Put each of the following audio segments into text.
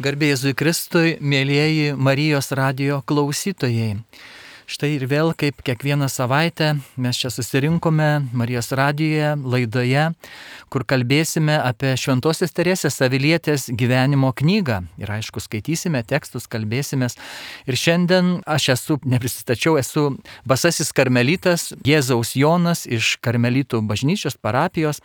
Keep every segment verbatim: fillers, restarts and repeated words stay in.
Garbė Jėzui Kristui, mėlyjeji Marijos radijo klausytojai. Štai ir vėl, kaip kiekvieną savaitę, mes čia susirinkome Marijos radijoje, laidoje, kur kalbėsime apie Šventosios Teresės Avilietės gyvenimo knygą. Ir aišku, skaitysime tekstus, kalbėsimės. Ir šiandien aš esu, neprisistačiau, esu Basasis karmelitas Jėzaus Jonas iš Karmelitų bažnyčios parapijos.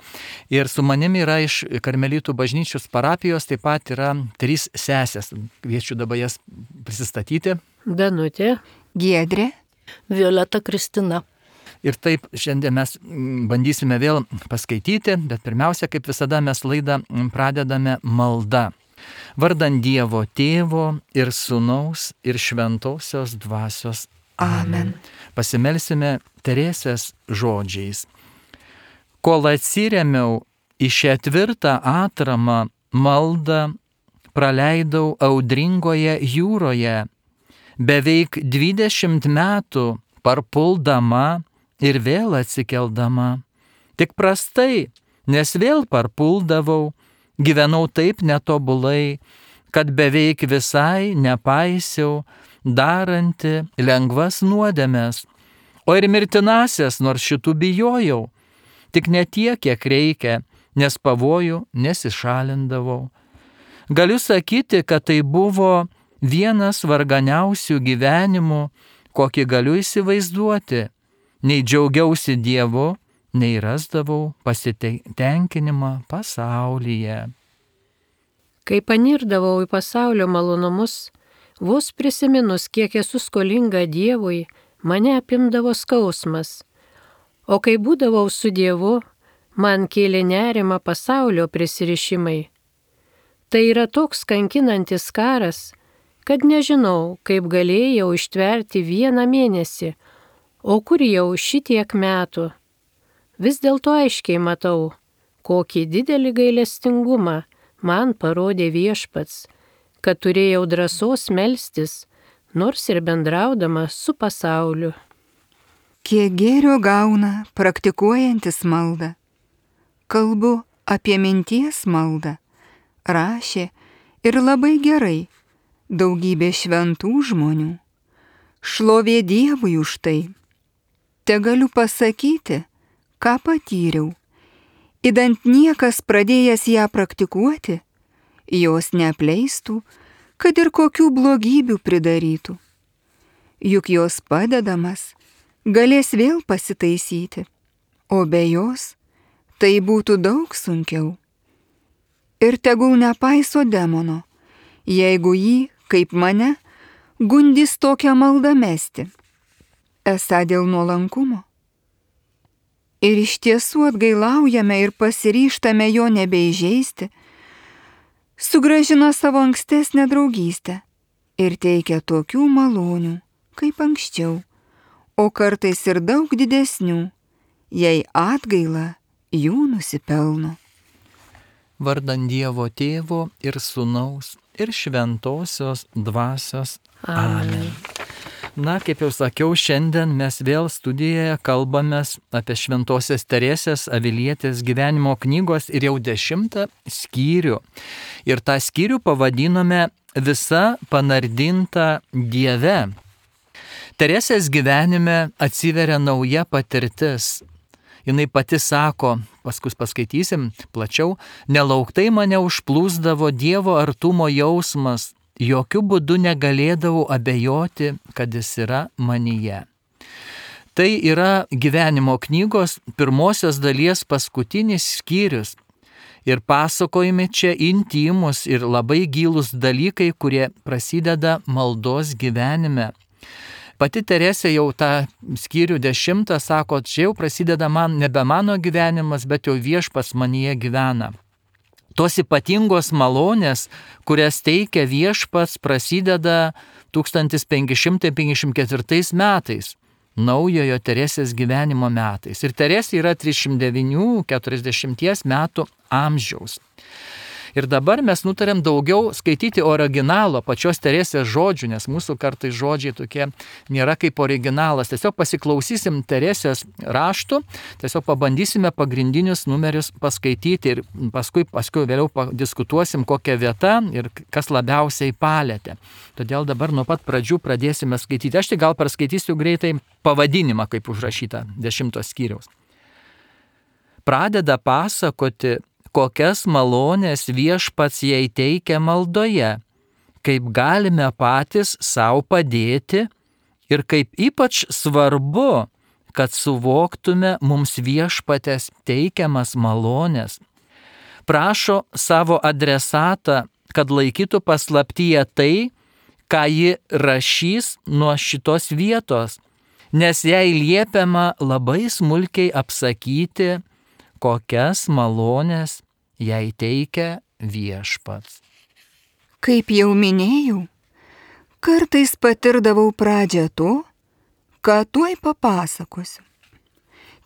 Ir su manimi yra iš Karmelitų bažnyčios parapijos taip pat yra trys sesės. Kviečiu dabar jas prisistatyti. Danutė, Giedrė, Violeta, Kristina. Ir taip šiandien mes bandysime vėl paskaityti, bet pirmiausia, kaip visada, mes laidą pradedame malda. Vardan Dievo Tėvo ir Sūnaus ir Šventosios Dvasios. Amen. Pasimelsime Teresės žodžiais. Kol atsiremiau į šią tvirtą atramą, maldą praleidau audringoje jūroje, beveik dvidešimt metų parpuldama ir vėl atsikeldama. Tik prastai, nes vėl parpuldavau, gyvenau taip netobulai, kad beveik visai nepaisiau, daranti lengvas nuodėmes. O ir mirtinasias, nors šitų bijojau, tik ne tiek, kiek reikia, nes pavojų nesišalindavau. Galiu sakyti, kad tai buvo vienas varganiausių gyvenimų, kokį galiu įsivaizduoti. Nei džiaugiausi Dievu, nei rasdavau pasitenkinimą pasaulyje. Kai panirdavau į pasaulio malonumus, vos prisiminus, kiek esu skolinga Dievui, mane apimdavo skausmas. O kai būdavau su Dievu, man kėlė nerimą pasaulio prisirišimai. Tai yra toks kankinantis karas, kad nežinau, kaip galėjau ištverti vieną mėnesį, o kur jau šitiek metų. Vis dėlto aiškiai matau, kokį didelį gailestingumą man parodė Viešpats, kad turėjau drąsos melstis, nors ir bendraudama su pasauliu. Kiek gėrio gauna praktikuojantis maldą. Kalbu apie minties maldą. Rašė ir labai gerai daugybė šventų žmonių. Šlovė Dievui už tai. Tegaliu pasakyti, ką patyriau. Idant niekas pradėjęs ją praktikuoti, jos neapleistų, kad ir kokių blogybių pridarytų. Juk jos padedamas galės vėl pasitaisyti, o be jos tai būtų daug sunkiau. Ir tegul nepaiso demono, jeigu jį, kaip mane, gundys tokią maldą mesti, esą dėl nuolankumo. Ir iš tiesų atgailaujame ir pasiryžtame jo nebeįžeisti, sugrąžina savo ankstesnę draugystę ir teikia tokių malonių, kaip anksčiau, o kartais ir daug didesnių, jei atgaila jų nusipelno. Vardan Dievo Tėvo ir Sūnaus ir Šventosios Dvasios. Amen. Na, kaip jau sakiau, šiandien mes vėl studijoje kalbamės apie Šventosios Teresės Avilietės gyvenimo knygos ir jau dešimtą skyrių. Ir tą skyrių pavadinome Visa panardinta Dieve. Teresės gyvenime atsiveria nauja patirtis. Jinai pati sako, paskui paskaitysim plačiau, nelauktai mane užplūsdavo Dievo artumo jausmas, jokių būdų negalėdavau abejoti, kad jis yra manyje. Tai yra gyvenimo knygos pirmosios dalies paskutinis skyrius. Ir pasakojami čia intymus ir labai gilūs dalykai, kurie prasideda maldos gyvenime. Pati Teresė jau tą skyrių dešimtą sako, čia jau prasideda man nebe mano gyvenimas, bet jau Viešpats manyje gyvena. Tos ypatingos malonės, kurias teikia Viešpats, prasideda tūkstantis penki šimtai penkiasdešimt ketvirtais metais, naujojo Teresės gyvenimo metais. Ir Teresė yra trisdešimt devynių keturiasdešimties metų amžiaus. Ir dabar mes nutarėm daugiau skaityti originalo pačios Teresės žodžių, nes mūsų kartais žodžiai tokie nėra kaip originalas. Tiesiog pasiklausysim Teresės raštų, tiesiog pabandysime pagrindinius numerius paskaityti ir paskui, paskui vėliau padiskutuosim, kokia vieta ir kas labiausiai palėtė. Todėl dabar nuo pat pradžių pradėsime skaityti. Aš tik gal perskaitysiu greitai pavadinimą, kaip užrašyta dešimtos skyriaus. Pradeda pasakoti, kokias malonės viešpats jai teikia maldoje, kaip galime patys savo padėti ir kaip ypač svarbu, kad suvoktume mums viešpatės teikiamas malonės. Prašo savo adresatą, kad laikytų paslaptyje tai, ką ji rašys nuo šitos vietos, nes jai liepiama labai smulkiai apsakyti, kokias malonės jai teikia viešpats. Kaip jau minėjau, kartais patirdavau pradžią to, ką tuoj papasakosiu.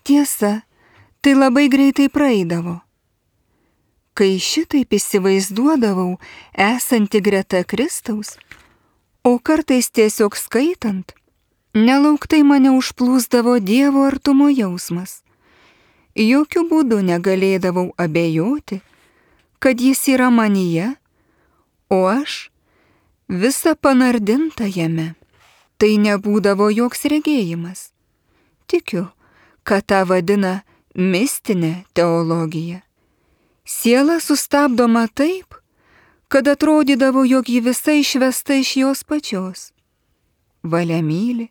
Tiesa, tai labai greitai praeidavo. Kai šitaip įsivaizduodavau esanti greta Kristaus, o kartais tiesiog skaitant, nelauktai mane užplūsdavo Dievo artumo jausmas. Jokių būdų negalėdavau abejoti, kad jis yra manyje, o aš visa panardinta jame. Tai nebūdavo joks regėjimas. Tikiu, kad tą vadina mistinė teologija. Siela sustabdoma taip, kad atrodydavo, jog ji visa išvesta iš jos pačios. Valia myli,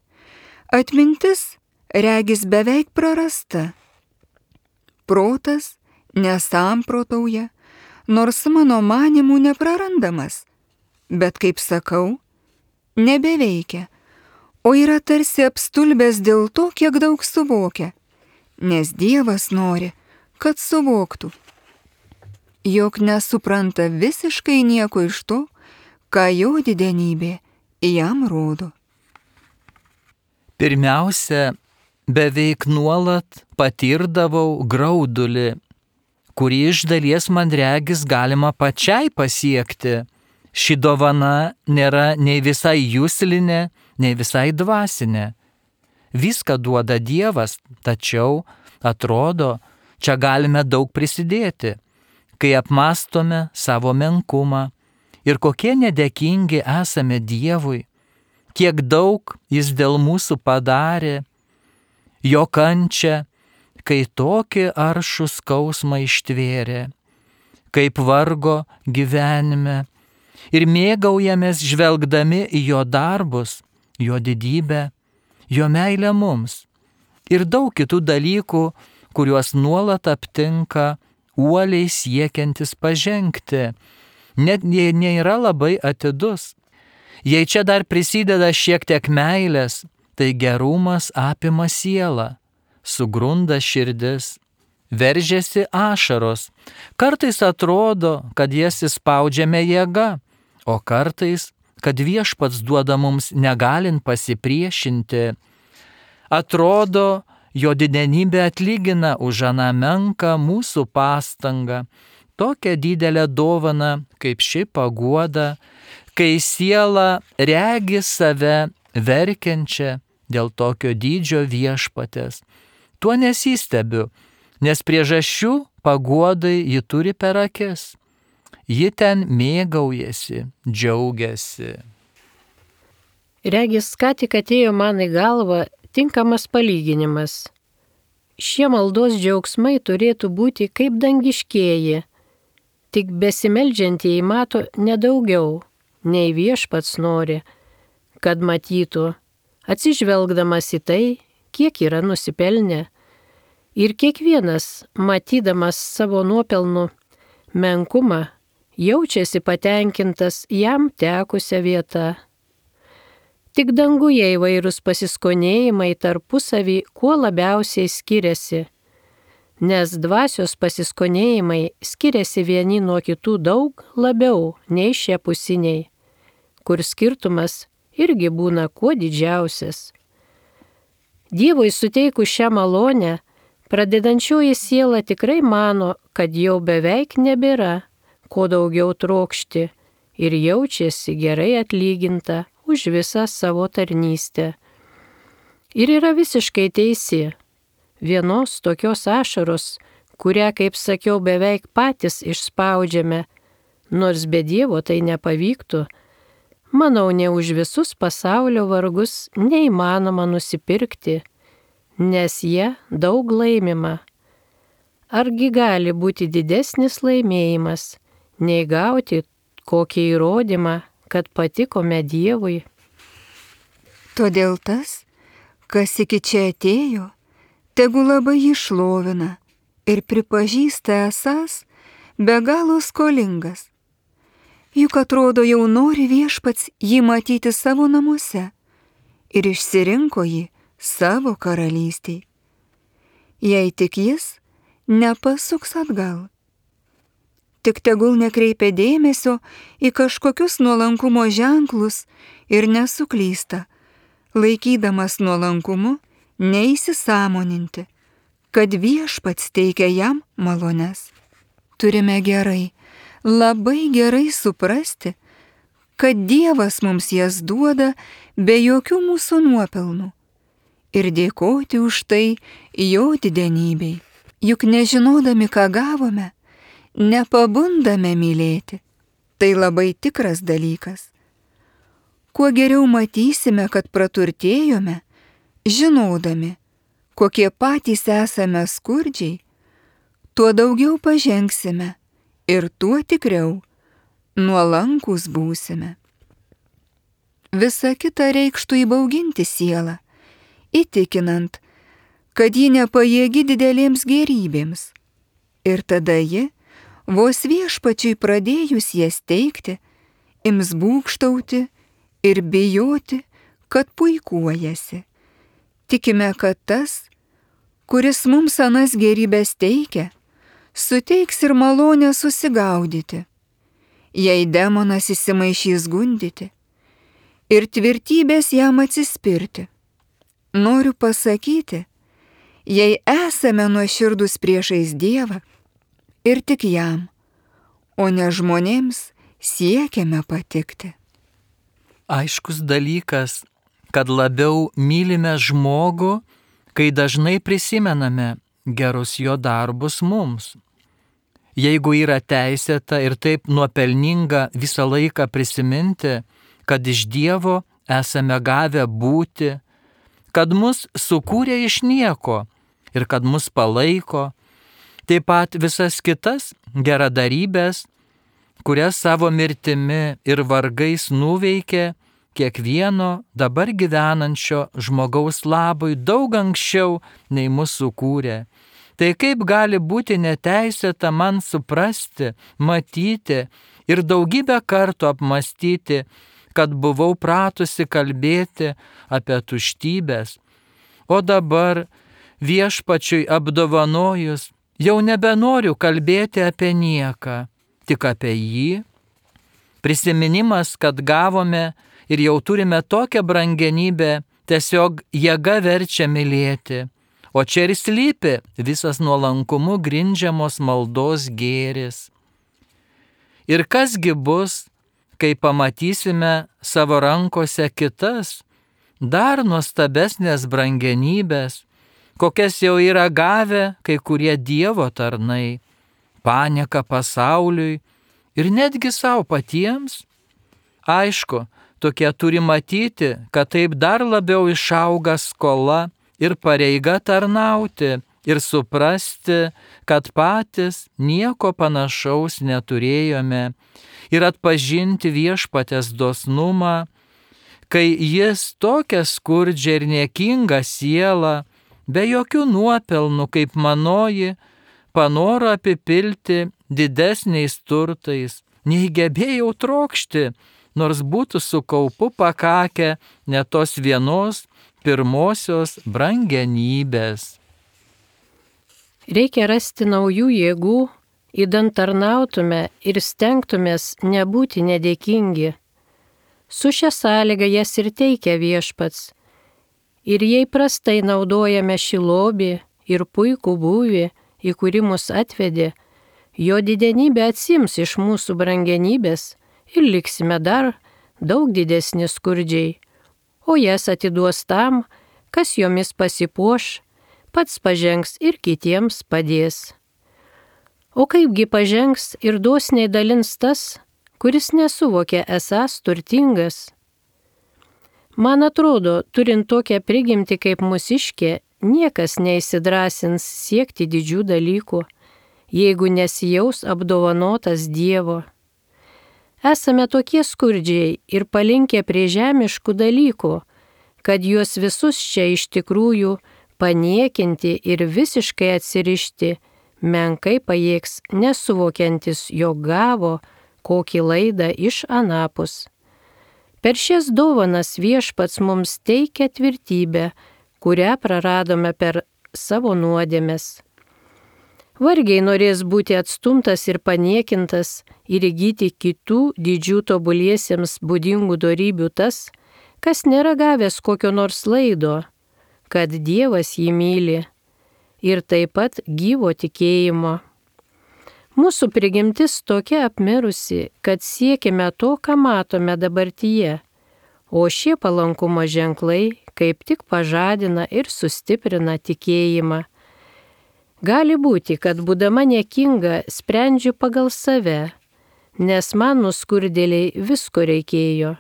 atmintis regis beveik prarasta. Protas nesamprotauja, nors mano manimų neprarandamas, bet, kaip sakau, nebeveikia, o yra tarsi apstulbęs dėl to, kiek daug suvokia, nes Dievas nori, kad suvoktų, jog nesupranta visiškai nieko iš to, ką jo didenybė jam rodo. Pirmiausia, beveik nuolat patirdavau graudulį, kurį iš dalies man regis galima pačiai pasiekti. Ši dovana nėra nei visai juslinė, nei visai dvasinė. Viską duoda Dievas, tačiau, atrodo, čia galime daug prisidėti, kai apmastome savo menkumą ir kokie nedėkingi esame Dievui, kiek daug Jis dėl mūsų padarė, jo kančia, kai tokį aršų skausmą ištvėrė, kaip vargo gyvenime, ir mėgaujamės žvelgdami į jo darbus, jo didybę, jo meilę mums ir daug kitų dalykų, kuriuos nuolat aptinka uoliai siekiantis pažengti, net jei nėra labai atidus. Jei čia dar prisideda šiek tiek meilės, tai gerumas apima sielą, sugrunda širdis, veržiasi ašaros. Kartais atrodo, kad jas įspaudžiame jėga, o kartais, kad viešpats duoda mums negalint pasipriešinti. Atrodo, jo didenybė atlygina už aną menką mūsų pastangą, tokią didelę dovaną, kaip ši paguoda, kai siela regi save verkiančią dėl tokio dydžio viešpatės. Tuo nesistebiu, nes priežasčių paguodai ji turi per akis. Ji ten mėgaujasi, džiaugiasi. Regis, ką tik atėjo man į galvą tinkamas palyginimas. Šie maldos džiaugsmai turėtų būti kaip dangiškieji, tik besimeldžiantieji mato nedaugiau, nei viešpats nori, kad matytų, atsižvelgdamas į tai, kiek yra nusipelnę. Ir kiekvienas, matydamas savo nuopelnų menkumą, jaučiasi patenkintas jam tekusią vietą. Tik danguje įvairūs pasiskonėjimai tarpusavį kuo labiausiai skiriasi, nes dvasios pasiskonėjimai skiriasi vieni nuo kitų daug labiau nei šiapusiniai, kur skirtumas irgi būna kuo didžiausias. Dievui suteikus šią malonę, pradedančioji siela tikrai mano, kad jau beveik nebėra, ko daugiau trokšti ir jaučiasi gerai atlyginta už visą savo tarnystę. Ir yra visiškai teisi. Vienos tokios ašaros, kurią, kaip sakiau, beveik patys išspaudžiame, nors be Dievo tai nepavyktų, manau, ne už visus pasaulio vargus neįmanoma nusipirkti, nes jie daug laimima. Argi gali būti didesnis laimėjimas, nei gauti kokį įrodymą, kad patikome Dievui? Todėl tas, kas iki čia atėjo, tegu labai jį šlovina ir pripažįsta esąs be galo skolingas. Juk atrodo jau nori Viešpats jį matyti savo namuose ir išsirinko jį savo karalystėj. Jei tik jis nepasuks atgal. Tik tegul nekreipia dėmesio į kažkokius nuolankumo ženklus ir nesuklysta, laikydamas nuolankumu neįsisąmoninti, kad Viešpats teikia jam malones. Turime gerai, labai gerai suprasti, kad Dievas mums jas duoda be jokių mūsų nuopelnų ir dėkoti už tai jo didenybei. Juk nežinodami, ką gavome, nepabundame mylėti. Tai labai tikras dalykas. Kuo geriau matysime, kad praturtėjome, žinodami, kokie patys esame skurdžiai, tuo daugiau pažengsime ir tuo tikriau nuolankus būsime. Visa kita reikštų įbauginti sielą, įtikinant, kad ji nepajėgi didelėms gėrybėms. Ir tada ji, vos Viešpačiui pradėjus jas teikti, ims būgštauti ir bijoti, kad puikuojasi. Tikime, kad tas, kuris mums anas gėrybės teikia, suteiks ir malonę susigaudyti, jei demonas įsimaišys gundyti ir tvirtybės jam atsispirti. Noriu pasakyti, jei esame nuoširdūs priešais Dievą ir tik jam, o ne žmonėms siekiame patikti. Aiškus dalykas, kad labiau mylime žmogų, kai dažnai prisimename gerus jo darbus mums. Jeigu yra teisėta ir taip nuopelninga visą laiką prisiminti, kad iš Dievo esame gavę būti, kad mus sukūrė iš nieko ir kad mus palaiko, taip pat visas kitas geradarybės, kurias savo mirtimi ir vargais nuveikė kiekvieno dabar gyvenančio žmogaus labui daug anksčiau nei mus sukūrė. Tai kaip gali būti neteisėta man suprasti, matyti ir daugybę kartų apmastyti, kad buvau pratusi kalbėti apie tuštybės, o dabar Viešpačiui apdovanojus jau nebenoriu kalbėti apie nieką, tik apie jį. Prisiminimas, kad gavome ir jau turime tokią brangenybę, tiesiog jėga verčia mylėti, o čia ir slypi visas nuolankumu grindžiamos maldos gėris. Ir kasgi bus, kai pamatysime savo rankose kitas, dar nuostabesnės brangenybės, kokias jau yra gavę kai kurie Dievo tarnai, panieką pasauliui ir netgi savo patiems? Aišku, tokie turi matyti, kad taip dar labiau išauga skola ir pareiga tarnauti ir suprasti, kad patys nieko panašaus neturėjome ir atpažinti Viešpaties dosnumą, kai jis tokią skurdžią ir niekingą sielą, be jokių nuopelnų kaip manoji, panoro apipilti didesniais turtais, nei gebėjau trokšti, nors būtų su kaupu pakakę ne tos vienos pirmosios brangenybės. Reikia rasti naujų jėgų, idant tarnautume ir stengtumės nebūti nedėkingi. Su šia sąlyga jas ir teikia Viešpats. Ir jei prastai naudojame šį lobį ir puikų būvį, į kurį mus atvedė, jo didenybė atsims iš mūsų brangenybės ir liksime dar daug didesni skurdžiai, o jas atiduos tam, kas jomis pasipuoš, pats pažengs ir kitiems padės. O kaipgi pažengs ir dosniai dalins tas, kuris nesuvokė esąs turtingas? Man atrodo, turint tokią prigimtį kaip mūsiškė, niekas neįsidrąsins siekti didžių dalykų, jeigu nesijaus apdovanotas Dievo. Esame tokie skurdžiai ir palinkę prie žemiškų dalykų, kad juos visus čia iš tikrųjų paniekinti ir visiškai atsirišti menkai pajėgs nesuvokiantis, jog gavo kokį laidą iš anapus. Per šias dovanas Viešpats mums teikia tvirtybę, kurią praradome per savo nuodėmes. Vargiai norės būti atstumtas ir paniekintas ir įgyti kitų didžių tobuliesiems būdingų dorybių tas, kas nėra gavęs kokio nors laido, kad Dievas jį myli ir taip pat gyvo tikėjimo. Mūsų prigimtis tokia apmirusi, kad siekime to, ką matome dabartyje, o šie palankumo ženklai kaip tik pažadina ir sustiprina tikėjimą. Gali būti, kad būdama niekinga sprendžiu pagal save, nes man nuskurdėliai visko reikėjo.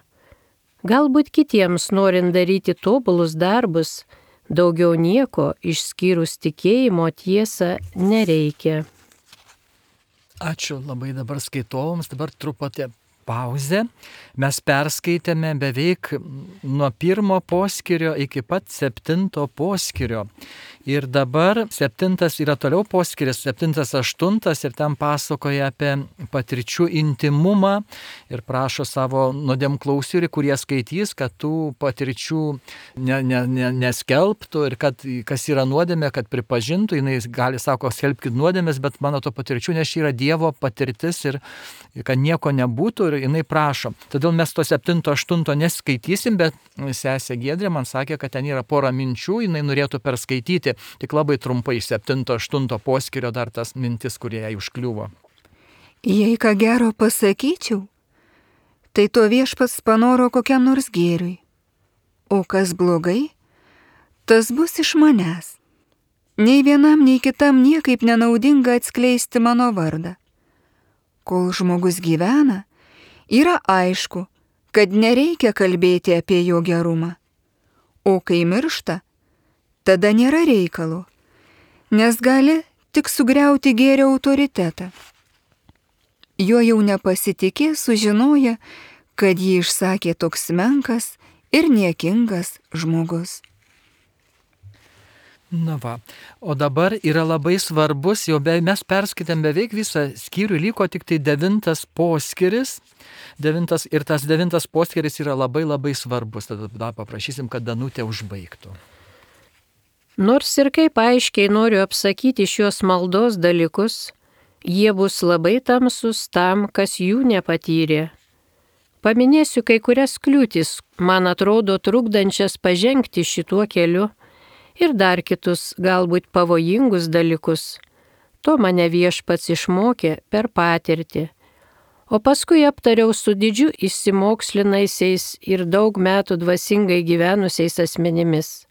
Galbūt kitiems, norint daryti tobulus darbus, daugiau nieko išskyrus tikėjimo tiesą nereikia. Ačiū labai dabar skaitovams, dabar truputį pauzė. Mes perskaitėme beveik nuo pirmo poskyrio iki pat septinto poskyrio. Ir dabar septintas yra toliau poskyris, septintas aštuntas ir ten pasakoja apie patirčių intimumą ir prašo savo nuodėmklausių, kurie skaitys, kad tų patirčių ne, ne, ne, neskelbtų ir kad kas yra nuodėmė, kad pripažintų. Jis gali, sako, skelbkit nuodėmės, bet mano to patirčių, nes čia yra Dievo patirtis ir kad nieko nebūtų ir jinai prašo. Todėl mes to septinto aštunto neskaitysim, bet sesė Giedrė man sakė, kad ten yra pora minčių, jinai norėtų perskaityti. Tik labai trumpai iš septinto aštunto poskyrio dar tas mintis, kurie jai užkliuvo. Jei ką gero pasakyčiau, tai to Viešpats panoro kokiam nors gėriui. O kas blogai, tas bus iš manęs. Nei vienam, nei kitam niekaip nenaudinga atskleisti mano vardą. Kol žmogus gyvena, yra aišku, kad nereikia kalbėti apie jo gerumą. O kai miršta, tada nėra reikalo, nes gali tik sugriauti gėrio autoritetą. Jo jau nepasitikė sužinoja, kad jį išsakė toks menkas ir niekingas žmogus. Na va, o dabar yra labai svarbus, jau be, mes perskaitėm beveik visą skyrių, liko tik tai devintas poskyris, devintas, ir tas devintas poskyris yra labai labai svarbus, tada paprašysim, kad Danutė užbaigtų. Nors ir kaip aiškiai noriu apsakyti šios maldos dalykus, jie bus labai tamsus tam, kas jų nepatyrė. Paminėsiu kai kurias kliūtis, man atrodo, trukdančias pažengti šituo keliu, ir dar kitus, galbūt pavojingus dalykus. To mane Viešpats išmokė per patirtį. O paskui aptariau su didžiu išsimokslinaisiais ir daug metų dvasingai gyvenusiais asmenimis.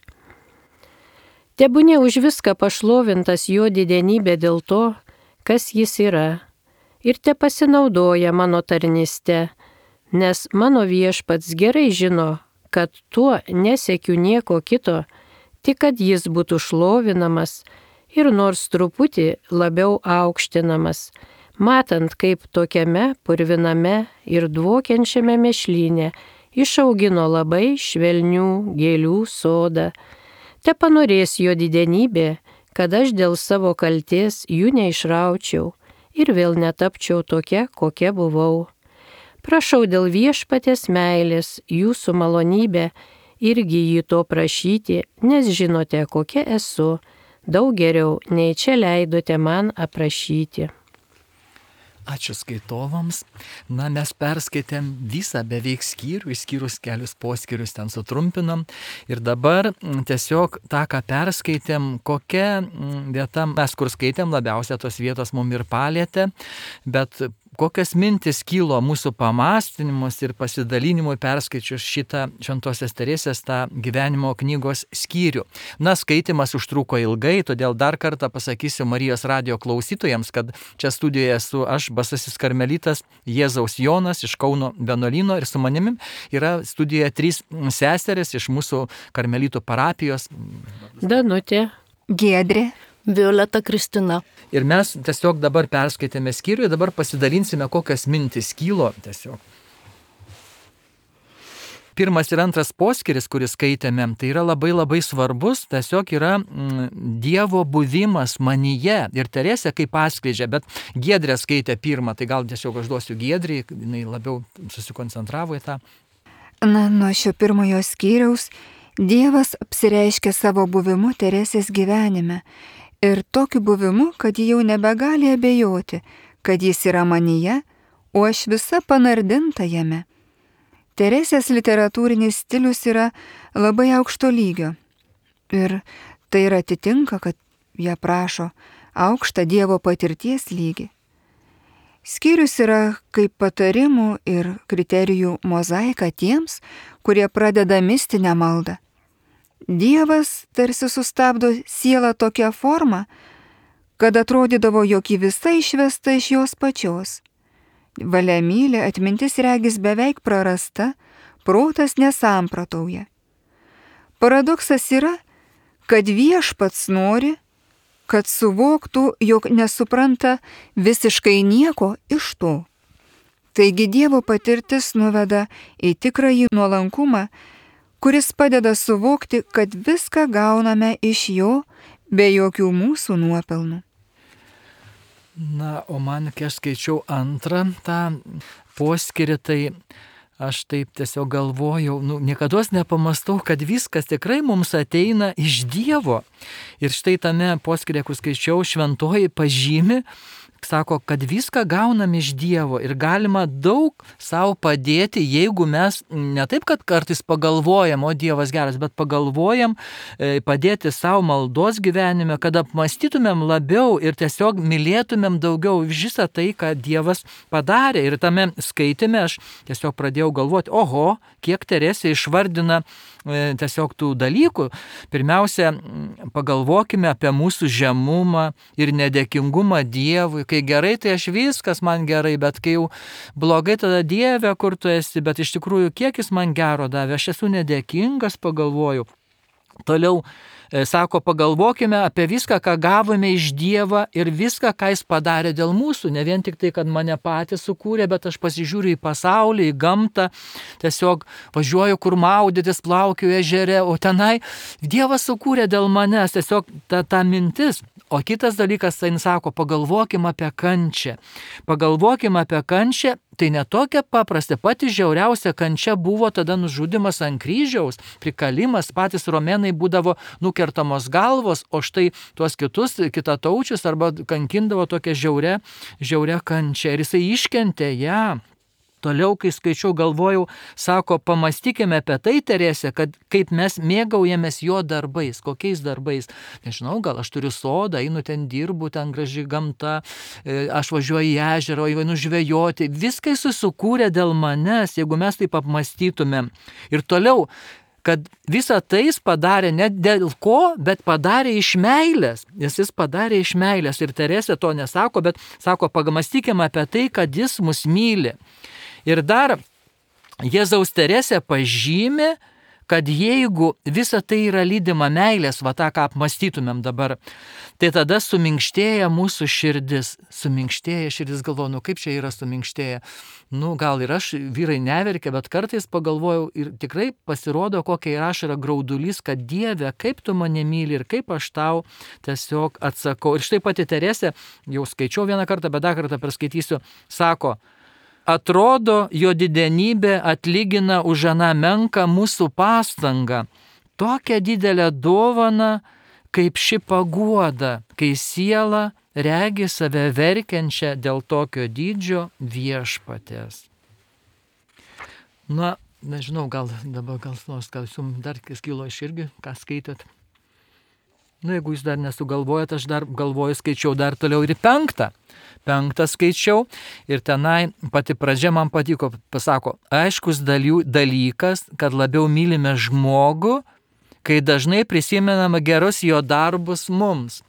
Tebūnė už viską pašlovintas jo didenybė dėl to, kas jis yra, ir te pasinaudoja mano tarnyste, nes mano Viešpats gerai žino, kad tuo nesiekiu nieko kito, tik kad jis būtų šlovinamas ir nors truputį labiau aukštinamas, matant, kaip tokiame purviname ir dvokiančiame mešlyne išaugino labai švelnių gėlių sodą. Te panorės jo didenybė, kad aš dėl savo kalties jų neišraučiau ir vėl netapčiau tokia, kokia buvau. Prašau dėl Viešpaties meilės jūsų malonybę irgi jį to prašyti, nes žinote, kokia esu, daug geriau nei čia leidote man aprašyti. Ačiū skaitovams. Na, mes perskaitėm visą beveik skyrių, išskyrus kelius poskyrius ten sutrumpinam. Ir dabar tiesiog tą, ką perskaitėm, kokia vieta, mes kur skaitėm, labiausiai tos vietos mum ir palėtė, bet kokias mintis kilo mūsų pamąstymus ir pasidalinimui perskaičius šitą Šventosios Teresės tą gyvenimo knygos skyrių. Na, skaitimas užtruko ilgai, todėl dar kartą pasakysiu Marijos radijo klausytojams, kad čia studijoje esu aš, Basasis karmelitas Jėzaus Jonas iš Kauno vienuolyno ir su manimi yra studijoje trys seserės iš mūsų karmelitų parapijos. Danutė, Giedrė, Violeta Kristina. Ir mes tiesiog dabar perskaitėme skyrių ir dabar pasidalinsime, kokias mintis kylo tiesiog. Pirmas ir antras poskyris, kurį skaitėme, tai yra labai labai svarbus, tiesiog yra mm, Dievo buvimas manyje. Ir Teresė kaip atskleidžia, bet Giedrė skaitė pirmą, tai gal tiesiog aš duosiu Giedrį, jinai labiau susikoncentravo į tą. Na, nuo šio pirmojo skyriaus Dievas apsireiškia savo buvimu Teresės gyvenime. Ir tokiu buvimu, kad ji jau nebegali abejoti, kad jis yra manyje, o aš visa panardinta jame. Teresės literatūrinis stilius yra labai aukšto lygio. Ir tai ir atitinka, kad ją prašo aukštą Dievo patirties lygį. Skyrius yra kaip patarimų ir kriterijų mozaika tiems, kurie pradeda mistinę maldą. Dievas tarsi sustabdo sielą tokią formą, kad atrodydavo, jog ji visa išvesta iš jos pačios. Valia myli, atmintis regis beveik prarasta, protas nesamprotauja. Paradoksas yra, kad Viešpats nori, kad suvoktų, jog nesupranta visiškai nieko iš to. Taigi Dievo patirtis nuveda į tikrąjį nuolankumą, kuris padeda suvokti, kad viską gauname iš jo be jokių mūsų nuopelnų. Na, o man, kai aš skaičiau antrą tą poskyrį, tai aš taip tiesiog galvojau, nu, niekados nepamastau, kad viskas tikrai mums ateina iš Dievo. Ir štai tame poskyrė, kur skaičiau, šventoji pažymi, sako, kad viską gaunam iš Dievo ir galima daug savo padėti, jeigu mes ne taip, kad kartais pagalvojam, o Dievas geras, bet pagalvojam padėti savo maldos gyvenime, kad apmąstytumėm labiau ir tiesiog mylėtumėm daugiau visą tai, ką Dievas padarė. Ir tame skaitime aš tiesiog pradėjau galvoti, oho, kiek Teresė išvardina tiesiog tų dalykų. Pirmiausia, pagalvokime apie mūsų žemumą ir nedėkingumą Dievui. Kai gerai, tai aš viskas man gerai, bet kai jau blogai, tada Dieve, kur tu esi, bet iš tikrųjų, kiek jis man gero davė, aš esu nedėkingas, pagalvoju. Toliau sako, pagalvokime apie viską, ką gavome iš Dievo ir viską, ką jis padarė dėl mūsų. Ne vien tik tai, kad mane patys sukūrė, bet aš pasižiūriu į pasaulį, į gamtą, tiesiog važiuoju, kur maudytis, plaukiu ežere, o tenai Dievas sukūrė dėl manęs, tiesiog ta, ta mintis. O kitas dalykas, tai sako, pagalvokime apie kančią. Pagalvokime apie kančią, tai netokia paprasta, pati žiauriausia kančia buvo tada nužudimas ant kryžiaus, prikalimas, patys romėnai būdavo nukertamos galvos, o štai tuos kitus kitataučius arba kankindavo tokią žiaurę, žiaurę kančią ir jisai iškentė ją. Toliau, kai skaičiau, galvojau, sako, pamastykime apie tai, Teresė, kad kaip mes mėgaujamės jo darbais, kokiais darbais. Nežinau, gal aš turiu sodą, einu ten dirbu, ten graži gamta, aš važiuoju į ežerą, einu žvejoti. Viskai susikūrė dėl manęs, jeigu mes taip apmastytumėm. Ir toliau, kad visą tai jis padarė ne dėl ko, bet padarė iš meilės. Nes jis padarė iš meilės. Ir Teresė to nesako, bet sako, pamastykime apie tai, kad jis mus myli. Ir dar Jėzaus Teresė pažymi, kad jeigu visa tai yra lydima meilės, va tą, ką apmąstytumėm dabar, tai tada suminkštėja mūsų širdis. Suminkštėja širdis, galvoju, nu kaip čia yra suminkštėja. Nu gal ir aš, vyrai neverkia, bet kartais pagalvojau ir tikrai pasirodo, kokia ir aš yra graudulys, kad Dieve, kaip tu mane myli ir kaip aš tau tiesiog atsakau. Ir štai pati Teresė, jau skaičiau vieną kartą, bet dar kartą perskaitysiu, sako, atrodo, jo didenybė atlygina už aną menką mūsų pastangą. Tokią didelę dovaną, kaip ši paguoda, kai siela regi save verkiančią dėl tokio dydžio viešpatės. Na, nežinau, gal dabar gal nors, gal jums dar kilo iš irgi, ką skaitėt. Nu, jeigu jūs dar nesugalvojat, aš dar galvoju, skaičiau dar toliau ir penktą. Penktą skaičiau ir tenai pati pradžia man patiko, pasako, aiškus dalykas, kad labiau mylime žmogų, kai dažnai prisimename gerus jo darbus mums.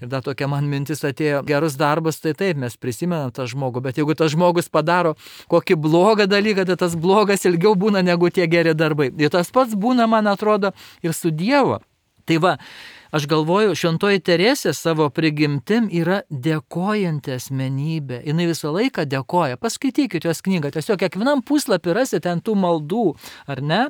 Ir dar tokia man mintis atėjo, gerus darbus, tai taip, mes prisimenam tą žmogų, bet jeigu tas žmogus padaro kokį blogą dalyką, tai tas blogas ilgiau būna negu tie geri darbai. Ir tas pats būna, man atrodo, ir su Dievu. Tai va, aš galvoju, šventoji Teresė savo prigimtim yra dėkojanti asmenybė. Jis visą laiką dėkoja. Paskaitykite jos knygą. Tiesiog kiekvienam puslapį rasite ten tų maldų, ar ne?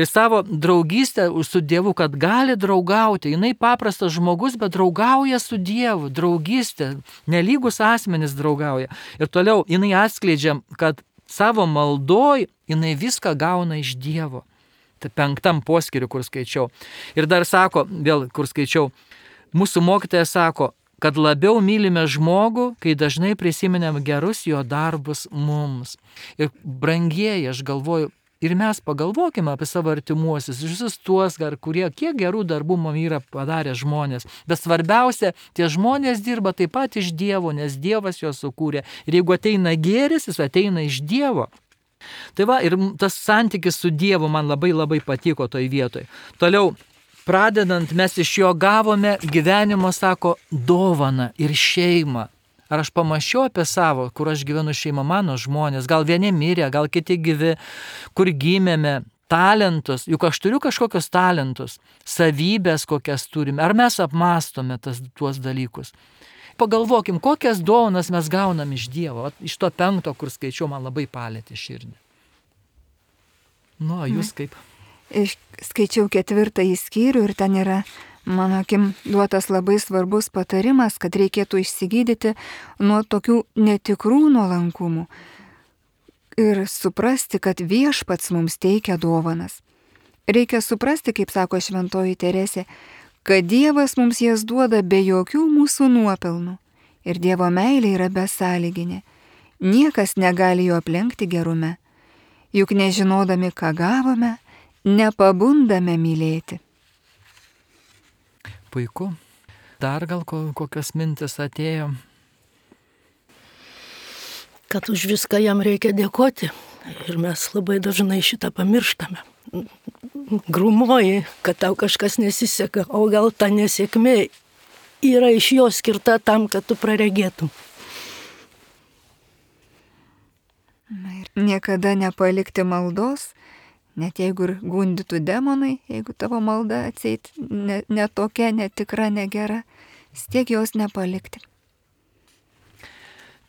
Ir savo draugystę su Dievu, kad gali draugauti. Jis paprastas žmogus, bet draugauja su Dievu. Draugystė. Nelygus asmenys draugauja. Ir toliau jinai atskleidžia, kad savo maldoj jinai viską gauna iš Dievo. Tai penktam poskiriu, kur skaičiau. Ir dar sako, vėl kur skaičiau, mūsų mokytojas sako, kad labiau mylime žmogų, kai dažnai prisiminėm gerus jo darbus mums. Ir brangieji, aš galvoju, ir mes pagalvokime apie savo artimuosius, visus tuos, kurie kiek gerų darbų mums yra padarę žmonės. Bet svarbiausia, tie žmonės dirba taip pat iš Dievo, nes Dievas juos sukūrė. Ir jeigu ateina gėris, jis ateina iš Dievo. Tai va, ir tas santykis su Dievu man labai labai patiko toj vietoj. Toliau, pradedant, mes iš jo gavome gyvenimo, sako, dovaną ir šeimą. Ar aš pamačiau apie savo, kur aš gyvenu šeimą, mano žmonės, gal vieni mirė, gal kiti gyvi, kur gimėme, talentus, juk aš turiu kažkokius talentus, savybės kokias turime, ar mes apmastome tas, tuos dalykus. Pagalvokim, kokias dovanas mes gaunam iš Dievo. Iš to penkto, kur skaičiau, man labai palėtė širdį. Nu, jūs kaip? Skaičiau ketvirtąjį skyrių ir ten yra, mano akim, duotas labai svarbus patarimas, kad reikėtų išsigydyti nuo tokių netikrų nuolankumų ir suprasti, kad viešpats mums teikia dovanas. Reikia suprasti, kaip sako šventoji Teresė, kad Dievas mums jas duoda be jokių mūsų nuopelnų ir Dievo meilė yra besąlyginė. Niekas negali jo aplenkti gerume, juk nežinodami, ką gavome, nepabundame mylėti. Puiku. Dar gal kokios mintis atėjo? Kad už viską jam reikia dėkoti ir mes labai dažnai šitą pamirštame. Grumuoji, kad tau kažkas nesiseka, o gal ta nesėkmė yra iš jo skirta tam, kad tu praregėtum. Na ir niekada nepalikti maldos, net jeigu ir gundytų demonai, jeigu tavo malda atseit ne, ne tokia, netikra, negera, stiek jos nepalikti.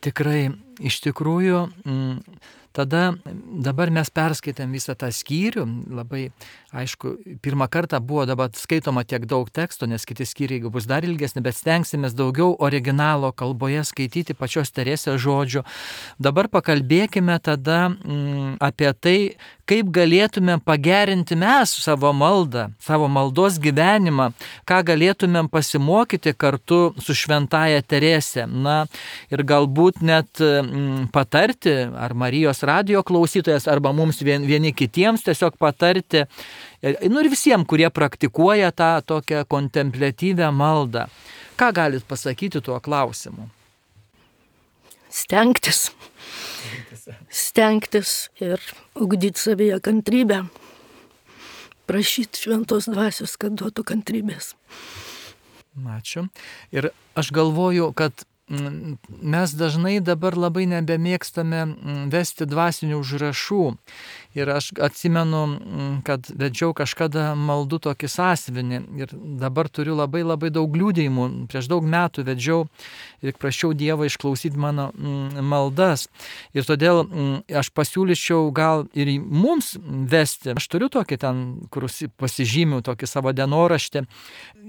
Tikrai, iš tikrųjų, m, tada dabar mes perskaitėm visą tą skyrių, labai, aišku, pirmą kartą buvo dabar skaitoma tiek daug teksto, nes kiti skyriai bus dar ilgesni, bet stengsimės daugiau originalo kalboje skaityti pačios Teresės žodžių. Dabar pakalbėkime tada mm, apie tai, kaip galėtume pagerinti mes savo maldą, savo maldos gyvenimą, ką galėtumėm pasimokyti kartu su šventaja Teresė. Na ir galbūt net mm, patarti, ar Marijos radijo klausytojas, arba mums vien, vieni kitiems tiesiog patarti, nu ir visiems, kurie praktikuoja tą tokią kontempliatyvę maldą. Ką galit pasakyti tuo klausimu? Stengtis. Stengtis ir ugdyti savyje kantrybę. Prašyti šventos dvasios, kad duotų kantrybės. Ačiū. Ir aš galvoju, kad mes dažnai dabar labai nebemėgstame vesti dvasinių užrašų. Ir aš atsimenu, kad vedžiau kažkada maldų tokį sąsiuvinį ir dabar turiu labai labai daug liudijimų. Prieš daug metų vedžiau ir prašiau Dievą išklausyti mano maldas. Ir todėl aš pasiūlyčiau gal ir mums vesti. Aš turiu tokį ten, kur pasižymiu tokį savo dienoraštį.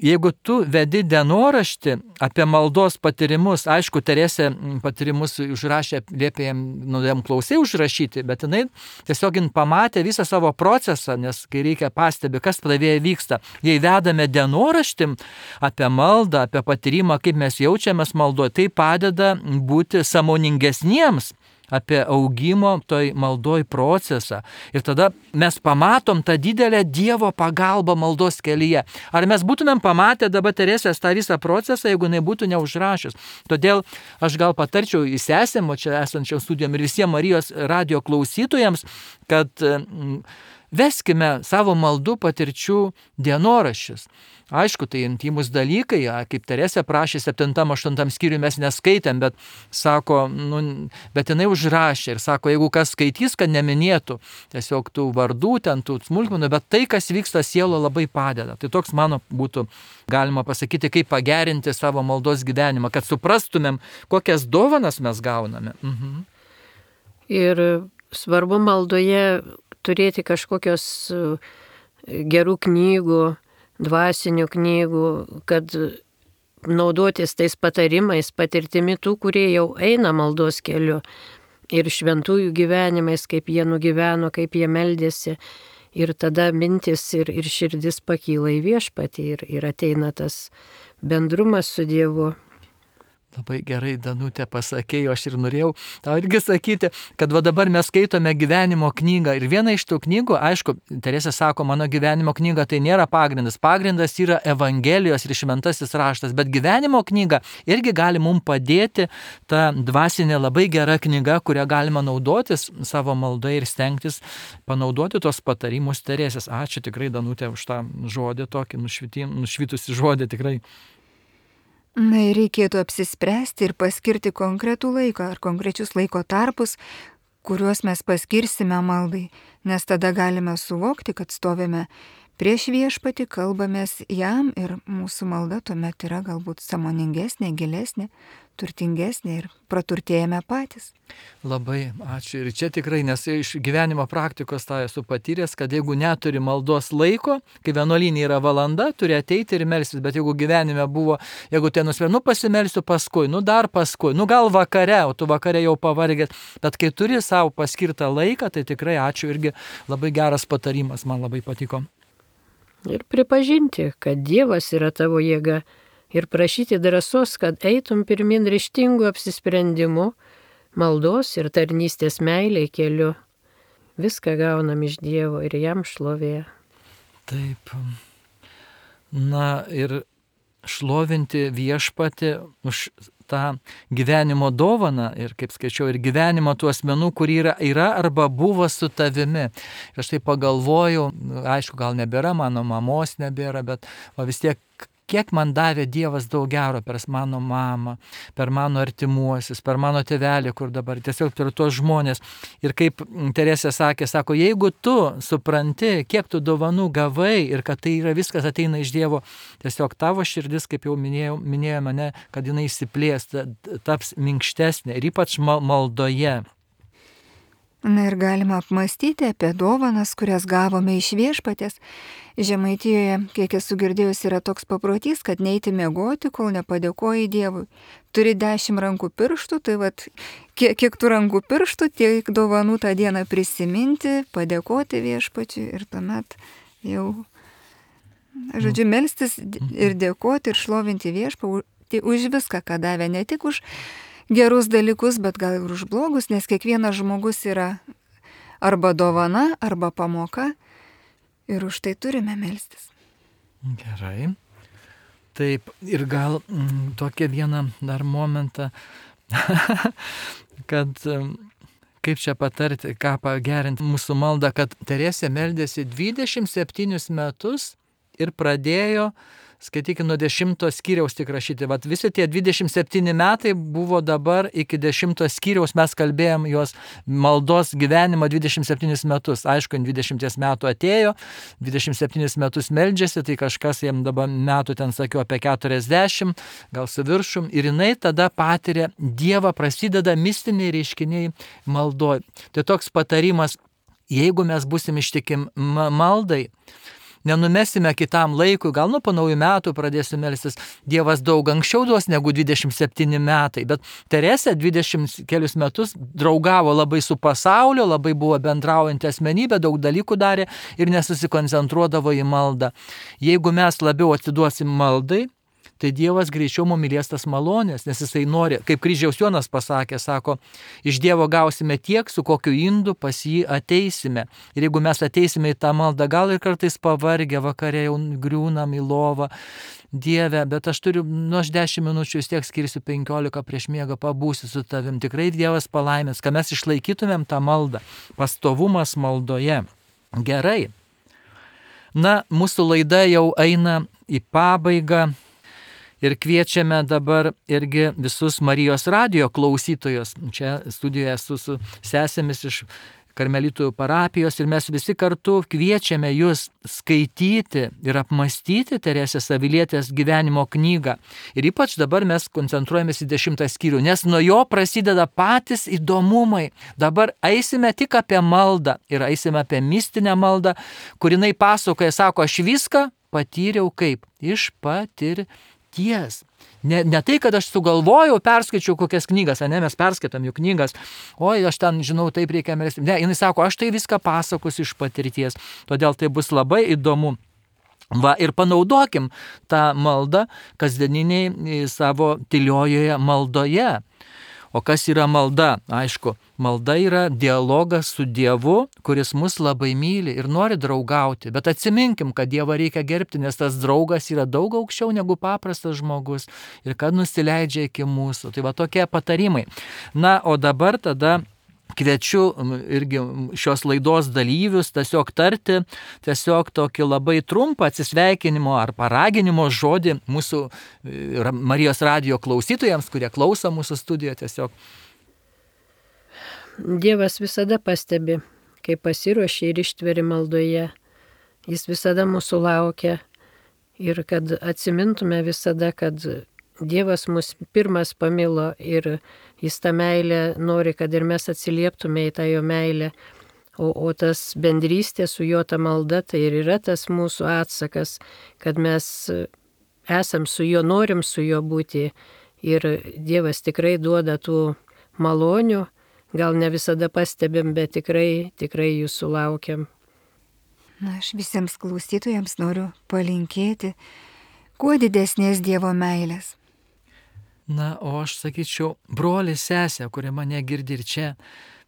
Jeigu tu vedi dienoraštį apie maldos patyrimus, aišku, Teresė patyrimus užrašė, liepė jam, nu, jam klausai užrašyti, bet jinai tiesiog pamatę visą savo procesą, nes kai reikia pastebi, kas pradėję vyksta, jei vedame dienoraštim apie maldą, apie patyrimą, kaip mes jaučiamės maldoje, tai padeda būti sąmoningesniems apie augimo toj maldoj procesą. Ir tada mes pamatom tą didelę Dievo pagalbą maldos kelyje. Ar mes būtumėm pamatę dabar Teresės tą visą procesą, jeigu jinai būtų neužrašęs? Todėl aš gal patarčiau į sesėm, o čia esančiam studijom ir visiems Marijos radio klausytojams, kad veskime savo maldų patirčių dienoraščius. Aišku, tai intimus dalykai, kaip Teresė prašė septintam, aštuntam skyriui mes neskaitėm, bet sako, nu, bet jinai užrašė ir sako, jeigu kas skaitys, kad neminėtų tiesiog tų vardų, ten tų smulkmenų, bet tai, kas vyksta sielo, labai padeda. Tai toks mano būtų galima pasakyti, kaip pagerinti savo maldos gyvenimą, kad suprastumėm, kokias dovanas mes gauname. Mhm. Ir svarbu maldoje turėti kažkokios gerų knygų, dvasinių knygų, kad naudotis tais patarimais, patirtimi tų, kurie jau eina maldos keliu ir šventųjų gyvenimais, kaip jie nugyveno, kaip jie meldėsi. Ir tada mintis ir, ir širdis pakyla į viešpatį ir, ir ateina tas bendrumas su Dievu. Labai gerai, Danutė, pasakėjau, aš ir norėjau tau irgi sakyti, kad va dabar mes skaitome gyvenimo knygą ir viena iš tų knygų, aišku, Teresė sako, mano gyvenimo knyga tai nėra pagrindas, pagrindas yra Evangelijos ir šventasis raštas, bet gyvenimo knyga irgi gali mums padėti, ta dvasinė labai gera knyga, kurią galima naudotis savo maldai ir stengtis panaudoti tos patarimus Teresės. Ačiū tikrai, Danutė, už tą žodį tokį, nušvitusi žodį tikrai. Na ir reikėtų apsispręsti ir paskirti konkretų laiką ar konkrečius laiko tarpus, kuriuos mes paskirsime maldai, nes tada galime suvokti, kad stovime prieš viešpatį, kalbamės jam ir mūsų malda tuomet yra galbūt sąmoningesnė, gilesnė, turtingesnė ir praturtėjame patys. Labai ačiū. Ir čia tikrai, nes iš gyvenimo praktikos tą esu patyręs, kad jeigu neturi maldos laiko, kai vienuolynė yra valanda, turi ateiti ir melstis, bet jeigu gyvenime buvo, jeigu ten nusprendžiu, nu pasimelsiu paskui, nu dar paskui, nu gal vakare, o tu vakare jau pavargęs, bet kai turi savo paskirtą laiką, tai tikrai ačiū, irgi labai geras patarimas, man labai patiko. Ir pripažinti, kad Dievas yra tavo jėga ir prašyti drąsos, kad eitum pirmin ryžtingu apsisprendimu, maldos ir tarnystės meilei keliu. Viską gaunam iš Dievo ir jam šlovė. Taip. Na ir šlovinti viešpatį už tą gyvenimo dovaną ir, kaip skaičiau, ir gyvenimo tų asmenų, kurie yra, yra arba buvo su tavimi. Ir aš tai pagalvojau, aišku, gal nebėra, mano mamos nebėra, bet o vis tiek, kiek man davė Dievas daug gero per mano mamą, per mano artimuosius, per mano tėvelį, kur dabar tiesiog per tuos žmonės. Ir kaip Teresė sakė, sako, jeigu tu supranti, kiek tu dovanų gavai ir kad tai yra viskas ateina iš Dievo, tiesiog tavo širdis, kaip jau minėjau, minėjo mane, kad jinai išsiplės, taps minkštesnė ir ypač maldoje. Na ir galima apmastyti apie dovanas, kurias gavome iš viešpatės. Žemaitijoje, kiek esu girdėjus, yra toks paprotys, kad neiti miegoti, kol nepadėkoji Dievui. Turi dešimt rankų pirštų, tai vat, kiek, kiek tų rankų pirštų, tiek dovanų tą dieną prisiminti, padėkoti viešpačiui ir tuomet jau, žodžiu, melstis ir dėkoti ir šlovinti viešpatį už viską, ką davė, ne tik už gerus dalykus, bet gal ir už blogus, nes kiekvienas žmogus yra arba dovana, arba pamoka ir už tai turime melstis. Gerai. Taip, ir gal m, tokia vieną dar momentą, kad m, kaip čia patarti, ką pagerinti mūsų maldą, kad Teresė meldėsi dvidešimt septynis metus ir pradėjo, skaitykime, nuo dešimto skyriaus tik rašyti. Vat visi tie dvidešimt septyni metai buvo dabar iki dešimto skyriaus, mes kalbėjom jos maldos gyvenimą dvidešimt septynis metus. Aišku, dvidešimt metų atėjo, dvidešimt septynis metus meldžiasi, tai kažkas jam dabar metų ten sakiau apie keturiasdešimt, gal su viršum. Ir jinai tada patiria Dievą, prasideda mistiniai reiškiniai maldoj. Tai toks patarimas, jeigu mes būsim ištikim maldai, nenumesime kitam laikui, gal nuo po naujų metų pradėsiu melstis, Dievas daug anksčiau duos negu dvidešimt septyni metai, bet Teresė dvidešimt kelius metus draugavo labai su pasauliu, labai buvo bendraujanti asmenybė, daug dalykų darė ir nesusikoncentruodavo į maldą. Jeigu mes labiau atiduosim maldai, tai Dievas greičiau mums mylės tas malonės, nes jisai nori, kaip Kryžiaus Jonas pasakė, sako, iš Dievo gausime tiek, su kokiu indu pas jį ateisime. Ir jeigu mes ateisime į tą maldą, gal ir kartais pavargę, vakarė jau griūnam į lovą, Dieve, bet aš turiu, nu aš dešimt minučių vis tiek skirsiu penkiolika prieš miegą, pabūsiu su tavim. Tikrai Dievas palaimės, kad mes išlaikytumėm tą maldą. Pastovumas maldoje. Gerai. Na, mūsų laida jau eina į pabaigą. Ir kviečiame dabar irgi visus Marijos radijo klausytojus. Čia studijoje esu su sesėmis iš Karmelitų parapijos ir mes visi kartu kviečiame jūs skaityti ir apmastyti Teresės Avilietės gyvenimo knygą. Ir ypač dabar mes koncentruojamės į dešimtą skyrių, nes nuo jo prasideda patys įdomumai. Dabar eisime tik apie maldą ir eisime apie mistinę maldą, kur jinai pasakoja, sako, aš viską patyriau kaip iš patirties. Ne, ne tai, kad aš sugalvojau, perskaičiau kokias knygas, ne, mes perskaitam jų knygas, oi, aš ten žinau, taip reikia melstis. Ne, jinai sako, aš tai viską pasakosiu iš patirties, todėl tai bus labai įdomu. Va, ir panaudokim tą maldą kasdieniniai savo tyliojoje maldoje. O kas yra malda? Aišku, malda yra dialogas su Dievu, kuris mus labai myli ir nori draugauti. Bet atsiminkim, kad Dievą reikia gerbti, nes tas draugas yra daug aukščiau negu paprastas žmogus ir kad nusileidžia iki mūsų. Tai va tokie patarimai. Na, o dabar tada kviečiu irgi šios laidos dalyvius tiesiog tarti tiesiog tokį labai trumpą atsisveikinimo ar paraginimo žodį mūsų Marijos radijo klausytojams, kurie klauso mūsų studijoje tiesiog. Dievas visada pastebi, kai pasiruošia ir ištveri maldoje. Jis visada mūsų laukia ir kad atsimintume visada, kad Dievas mus pirmas pamilo ir jis tą meilę nori, kad ir mes atsilieptume į tą jo meilę. O, o tas bendrystė su jo ta malda, tai ir yra tas mūsų atsakas, kad mes esam su juo, norim su juo būti. Ir Dievas tikrai duoda tų malonių, gal ne visada pastebim, bet tikrai, tikrai jų sulaukiam. Na, aš visiems klausytojams noriu palinkėti kuo didesnės Dievo meilės. Na, o aš sakyčiau, broli, sesė, kurie mane girdi ir čia,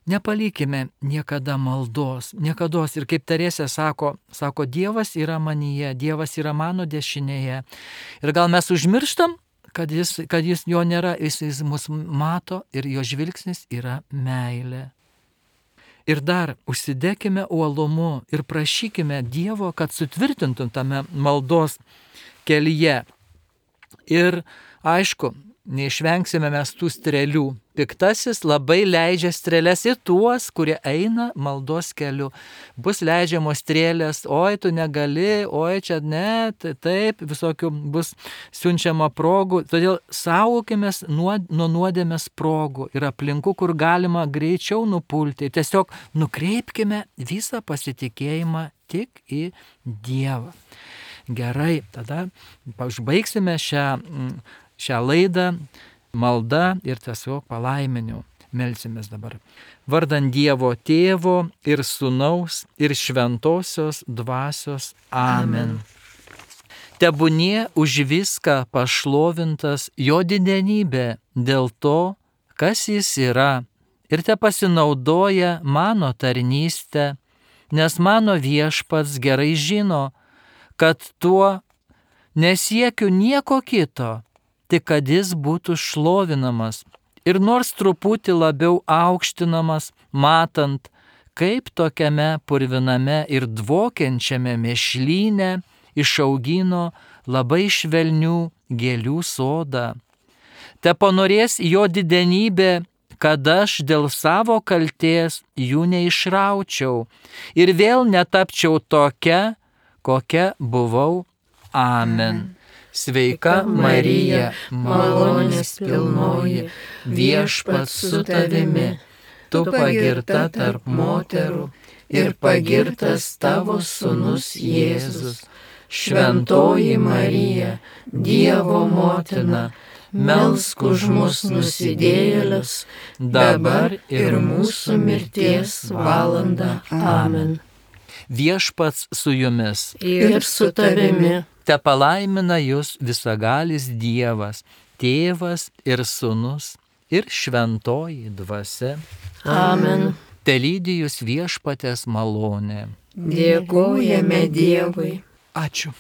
nepalikime niekada maldos, niekados. Ir kaip Teresė sako, sako, Dievas yra manyje, Dievas yra mano dešinėje. Ir gal mes užmirštam, kad jis, kad jis jo nėra, jis, jis mus mato ir jo žvilgsnis yra meilė. Ir dar užsidėkime uolumu ir prašykime Dievo, kad sutvirtintum tame maldos kelyje. Ir aišku, neišvengsime mes tų strėlių. Piktasis labai leidžia strėlės į tuos, kurie eina maldos keliu. Bus leidžiamos strėlės, oi tu negali, oi čia ne, tai taip, visokių bus siunčiama progų. Todėl saugokimės nuo, nuo nuodėmės progų ir aplinkų, kur galima greičiau nupulti. Tiesiog nukreipkime visą pasitikėjimą tik į Dievą. Gerai, tada užbaigsime šią šią laidą, malda ir tiesiog palaiminiu. Melsimės dabar. Vardan Dievo Tėvo ir Sūnaus ir Šventosios Dvasios. Amen. Tebūnie už viską pašlovintas jo didenybė dėl to, kas jis yra, ir te pasinaudoja mano tarnystę, nes mano Viešpats gerai žino, kad tuo nesiekiu nieko kito, tik kad jis būtų šlovinamas ir nors truputį labiau aukštinamas, matant, kaip tokiame purviname ir dvokiančiame mėšlyne išaugino labai švelnių gėlių sodą. Te panorės jo didenybė, kad aš dėl savo kaltės jų neišraučiau ir vėl netapčiau tokia, kokia buvau. Amen. Sveika Marija, malonės pilnoji, Viešpats su tavimi, tu pagirta tarp moterų ir pagirtas tavo sūnus Jėzus. Šventoji Marija, Dievo motina, melsk už mus nusidėjėlius, dabar ir mūsų mirties valanda. Amen. Viešpats su jumis. Ir su tavimi. Te palaimina jūs visagalis Dievas, Tėvas ir Sūnus ir Šventoji Dvasia. Amen. Te lydi jūs viešpatės malonė. Dėkojame Dievui. Ačiū.